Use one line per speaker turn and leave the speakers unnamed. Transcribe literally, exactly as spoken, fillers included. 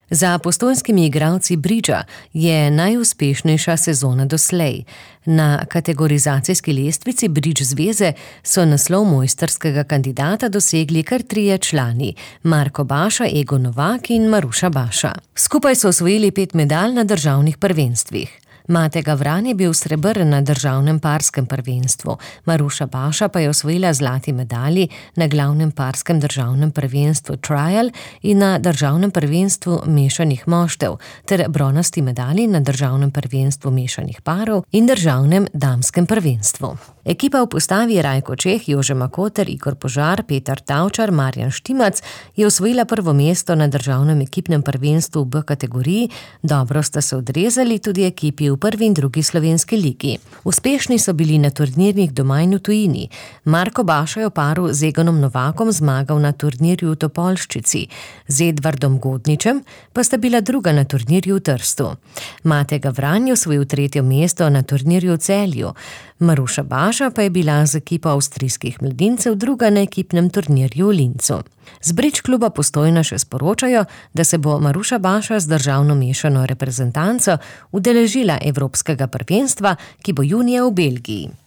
Za postojnskimi igralci bridža je najuspešnejša sezona doslej. Na kategorizacijski lestvici Bridge zveze so naslov mojstrskega kandidata dosegli kar trije člani: Marko Baša, Egon Novak in Maruša Baša. Skupaj so osvojili pet medalj na državnih prvenstvih. Mate Gavran je bil srebrn na državnem parskem prvenstvu, Maruša Baša pa je osvojila zlati medalji na glavnem parskem državnem prvenstvu Trial in na državnem prvenstvu mešanih moštev ter bronasti medalji na državnem prvenstvu mešanih parov in državnem damskem prvenstvu. Ekipa v postavi Rajko Čeh, Jože Makoter, Igor Požar, Petar Tavčar, Marjan Štimac je osvojila prvo mesto na državnem ekipnem prvenstvu v B kategoriji, dobro sta se odrezali tudi ekipi v prvi in drugi slovenski ligi. Uspešni so bili na turnirjih doma in v tujini. Marko Baša je v paru z Egonom Novakom zmagal na turnirju v Topolščici, z Edvardom Godničem pa sta bila druga na turnirju v Trstu. Mate Gavran je osvojil tretje mesto na turnirju v Celju, Maruša Baša pa je bila z ekipo avstrijskih mladincev druga na ekipnem turnirju v Linzu. Z Bridge kluba Postojna še sporočajo, da se bo Maruša Baša z državno mešano reprezentanco udeležila evropskega prvenstva, ki bo junija v Belgiji.